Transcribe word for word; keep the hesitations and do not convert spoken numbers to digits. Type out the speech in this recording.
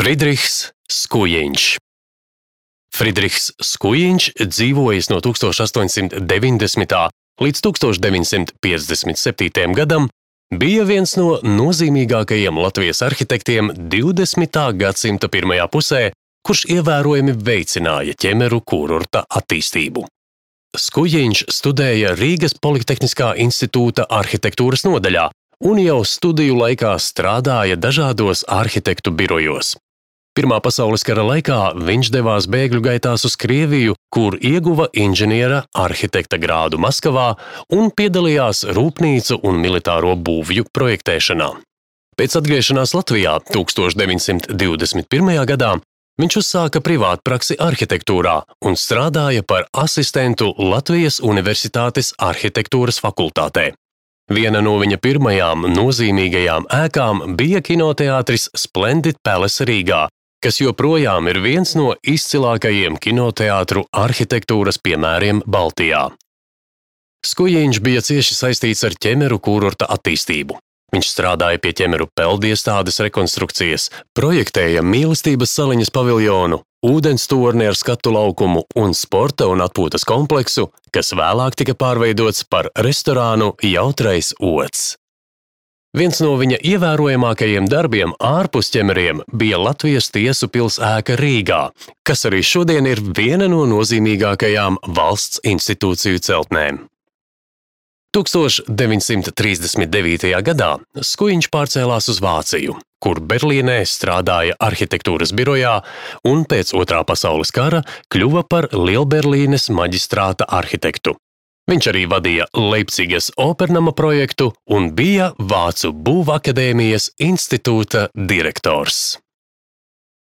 Friedrichs Skujiņš. Friedrichs Skujiņš dzīvojis no tūkstoš astoņsimt deviņdesmitā līdz tūkstoš deviņsimt piecdesmit septītajam gadam, bija viens no nozīmīgākajiem Latvijas arhitektiem divdesmitā gadsimta pirmajā pusē, kurš ievērojami veicināja ķemeru kurorta attīstību. Skujiņš studēja Rīgas Politehniskā institūta arhitektūras nodaļā un jau studiju laikā strādāja dažādos arhitektu birojos. Pirmā pasaules kara laikā viņš devās bēgļu gaitās uz Krieviju, kur ieguva inženiera arhitekta grādu Maskavā un piedalījās rūpnīcu un militāro būvju projektēšanā. Pēc atgriešanās Latvijā tūkstoš deviņsimt divdesmit pirmajā gadā viņš uzsāka privātpraksi arhitektūrā un strādāja par asistentu Latvijas Universitātes arhitektūras fakultātē. Viena no viņa pirmajām nozīmīgajām ēkām bija kinoteātris Splendid Palace Rīgā, kas joprojām ir viens no izcilākajiem kinoteātru arhitektūras piemēriem Baltijā. Skujiņš bija cieši saistīts ar ķemeru kurorta attīstību. Viņš strādāja pie ķemeru peldiestādes rekonstrukcijas, projektēja mīlestības saliņas paviljonu, ūdenstorni ar skatu laukumu un sporta un atpūtas kompleksu, kas vēlāk tika pārveidots par restorānu Jautrais ods. Viens no viņa ievērojamākajiem darbiem ārpus ķemeriem bija Latvijas tiesu pils ēka Rīgā, kas arī šodien ir viena no nozīmīgākajām valsts institūciju celtnēm. tūkstoš deviņsimt trīsdesmit devītajā gadā Skujiņš pārcēlās uz Vāciju, kur Berlīnē strādāja arhitektūras birojā un pēc Otrā pasaules kara kļuva par Lielberlīnes maģistrāta arhitektu. Viņš arī vadīja Leipcigas opernama projektu un bija Vācu būvakadēmijas institūta direktors.